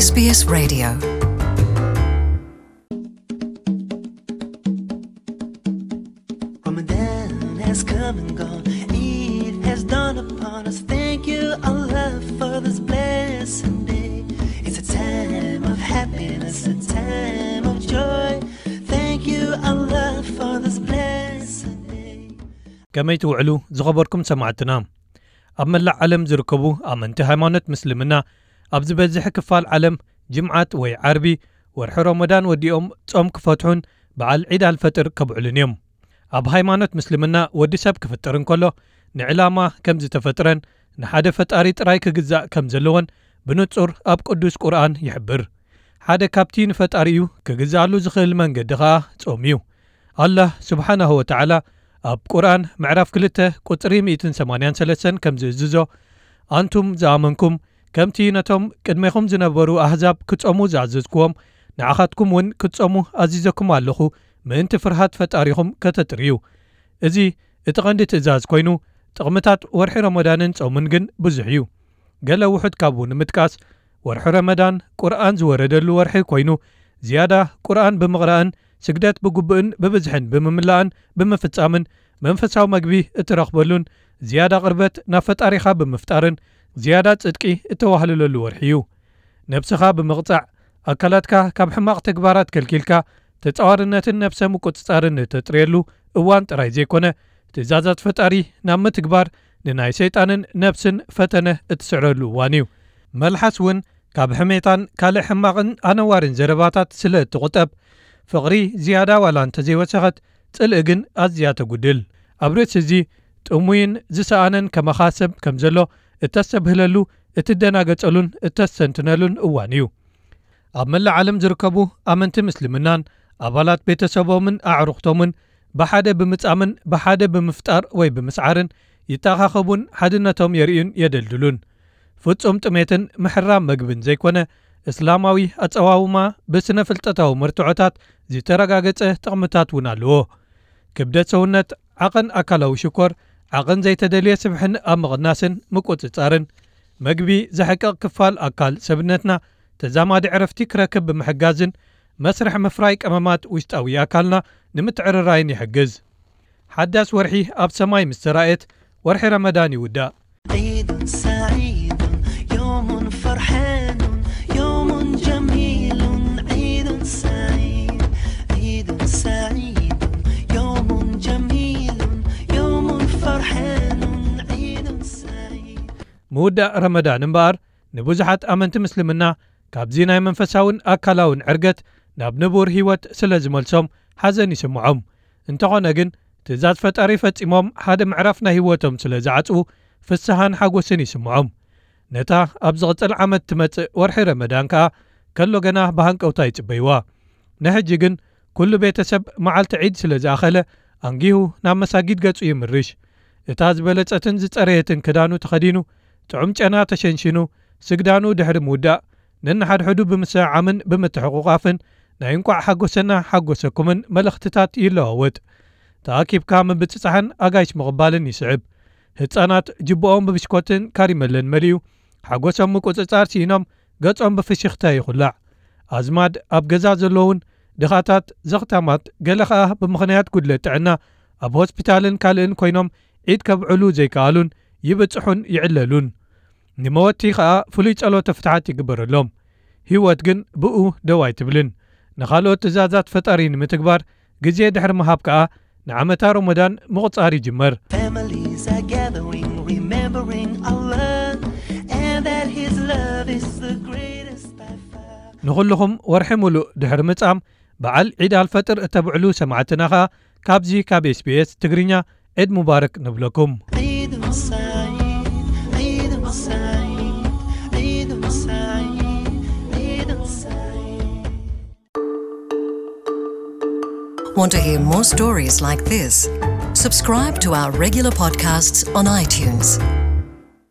S B S Radio. Ramadan has come and gone. Eid has dawned upon us. Thank you, Allah, for this blessed day. It's a time of happiness, a time of joy. Thank you, Allah, for this blessed day. ከመይ ትውዕሉ ዝኸበርኩም ሰማዕትና? ኣብ መላእ ዓለም ዝርከቡ ኣመንቲ ሃይማኖት ምስልምና ኣብ ዝበዝሕ ክፋል ዓለም ጅምዓት ወይ ዓርቢ ወርሒ ረመዳን ወዲኦም ጾም ክፈትሑን በዓል ዒድ ኣልፈጥር ከብዕሉን እዮም። ኣብ ሃይማኖት ምስልምና ወዲ ሰብ ክፍጥር እንከሎ ንዕላማ ከም ዝተፈጥረን ንሓደ ፈጣሪ ጥራይ ክግዛእ ከም ዘለዎን ብንጹር ኣብ ቅዱስ ቁርኣን ይሕብር። ሓደ ካብቲ ንፈጣሪኡ ክግዛኣሉ ዝኽእል መንገዲ ኸኣ ጾም እዩ። ኣላህ ስብሓናሁ ወተዓላ ኣብ ቁርኣን ምዕራፍ ክልተ ቁጽሪ ሚእትን ሰማንያን ሰለስተን ከም ዝእዝዞ፣ ኣንቱም ዝኣመንኩም፣ ከምቲ ነቶም ቅድሜኹም ዝነበሩ ኣህዛብ ክጾሙ ዝኣዘዝኩዎም፣ ንዓኻትኩም እውን ክትጾሙ ኣዚዘኩም ኣለኹ፣ ምእንቲ ፍርሃት ፈጣሪኹም ከተጥርዩ። እዚ እቲ ቐንዲ ትእዛዝ ኮይኑ፣ ጥቕምታት ወርሒ ረመዳንን ጾምን ግን ብዙሕ እዩ። ገለ ውሑድ ካብኡ ንምጥቃስ፣ ወርሒ ረመዳን ቁርኣን ዝወረደሉ ወርሒ ኮይኑ፣ ዝያዳ ቁርኣን ብምቕራእን ስግደት ብግቡእን ብብዝሕን ብምምላእን ብምፍጻምን መንፈሳዊ መግቢ እትረኽበሉን ዝያዳ ቅርበት ናብ ፈጣሪኻ ብምፍጣርን ዝያዳ ጽድቂ እተዋህልለሉ ወርሒ እዩ። ነብስኻ ብምቕጻዕ፣ ኣካላትካ ካብ ሕማቕ ተግባራት ከልኪልካ፣ ተጻዋርነትን ነብሰ ምቁጽጻርን እተጥርየሉ እዋን ጥራይ ዘይኮነ፣ ትእዛዛት ፈጣሪ ናብ ምትግባር ንናይ ሰይጣንን ነብስን ፈተነ እትስዕረሉ እዋን እዩ። መልሓስ እውን ካብ ሕሜታን ካልእ ሕማቕን ኣነዋርን ዘረባታት ስለ እትቑጠብ፣ ፍቕሪ ዝያዳ ዋላ እንተዘይወሰኸት፣ ጽልኢ ግን ኣዝያ ተጉድል። ኣብ ርእሲ እዚ፣ ጥሙይን ዝሰኣነን ከማኻ ሰብ ከም ዘሎ እተስተብህለሉ፣ እትደናገጸሉን እተስተንትነሉን እዋን እዩ። ኣብ መላእ ዓለም ዝርከቡ ኣመንቲ ምስልምናን ኣባላት ቤተሰቦምን ኣዕሩኽቶምን ብሓደ ብምጻምን ብሓደ ብምፍጣር ወይ ብምስዓርን ይተኻኸቡን ሓድነቶም የርእዩን የደልድሉን። ፍጹም ጥሜትን ምሕራም መግብን ዘይኮነ፣ እስላማዊ ኣጸዋውማ ብስነ ፍልጠታዊ መርትዖታት ዝተረጋገጸ ጥቕምታት እውን ኣለዎ። ክብደት ሰውነት፣ ዓቐን ኣካላዊ ሽኮር፣ ዓቐን ዘይተደልየ ስብሕን ኣብ ምቕናስን ምቁጽጻርን፣ መግቢ ዘሕቅቕ ክፋል ኣካል ሰብነትና ተዛማዲ ዕረፍቲ ክረክብ ብምሕጋዝን መስርሕ ምፍራይ ቀመማት ውሽጣዊ ኣካልና ንምትዕርራይን ይሕግዝ። ሓዳስ ወርሒ ኣብ ሰማይ ምስ ተራእየት፣ ወርሒ ረመዳን ይውዳእ። عيد سعيد، يوم فرحان، يوم جميل. عيد سعيد، عيد سعيد، يوم جميل، يوم فرحان. عيد سعيد. ምውዳእ ረመዳን እምበኣር፣ ንብዙሓት ኣመንቲ ምስልምና ካብዚ ናይ መንፈሳውን ኣካላውን ዕርገት ናብ ንቡር ህይወት ስለ ዝመልሶም ሓዘን ይስምዖም። እንተኾነ ግን፣ ትእዛዝ ፈጣሪ ፈጺሞም ሓደ ምዕራፍ ናይ ህይወቶም ስለ ዝዓጽዉ፣ ፍስሃን ሓጎስን ይስምዖም። ነታ ኣብ ዝቕጽል ዓመት ትመጽእ ወርሒ ረመዳን ከኣ ከሎ ገና ብሃንቀውታ ይጽበይዋ። ንሕጂ ግን፣ ኩሉ ቤተሰብ መዓልቲ ዒድ ስለ ዝኣኸለ፣ ኣንጊሁ ናብ መሳጊድ ገጹ ይምርሽ። እታ ዝበለጸትን ዝጸረየትን ክዳኑ ተኸዲኑ፣ ጥዑም ጨና ተሸንሺኑ፣ ስግዳኑ ድሕሪ ምውዳእ፣ ነንሓድሕዱ ብምስዕዓምን ብምትሕቑቓፍን ናይ እንቋዕ ሓጎሰና ሓጎሰኩምን መልእኽትታት ይለዋወጥ። ተኣኪብካ ምብጽጻሕን ኣጋይሽ ምቕባልን ይስዕብ። ህጻናት ጅብኦም ብብሽኮትን ካሪመለን መሊኡ፣ ሓጎሶም ምቁጽጻር ስኢኖም፣ ገጾም ብፍሽኽታ ይኹላዕ። ኣዝማድ ኣብ ገዛ ዘለዉን ድኻታት፣ ዘኽታማት፣ ገለ ኸኣ ብምኽንያት ጉድለት ጥዕና ኣብ ሆስፒታልን ካልእን ኮይኖም ዒድ ከብዕሉ ዘይከኣሉን ይብጽሑን ይዕለሉን። ንመወቲ ኸኣ ፍሉይ ጸሎተ ፍትሓት ይግበረሎም። ህይወት ግን ብኡ ደው ኣይትብልን። ንኻልኦት ትእዛዛት ፈጣሪ ንምትግባር ግዜ ድሕሪ ምሃብ ከኣ ንዓመታ ሮሞዳን ምቑጻር ይጅመር። Families are gathering, remembering Allah, and that His love is the greatest by far. ንኹልኹም ወርሒ ሙሉእ ድሕሪ ምጻም በዓል ዒድ ኣልፈጥር እተብዕሉ ሰማዕትና ኸኣ ካብዚ ካብ SBS ትግርኛ ዒድ ሙባረክ ንብለኩም። عيد سعيد، عيد سعيد، عيد سعيد، عيد سعيد. Want to hear more stories like this? Subscribe to our regular podcasts on iTunes.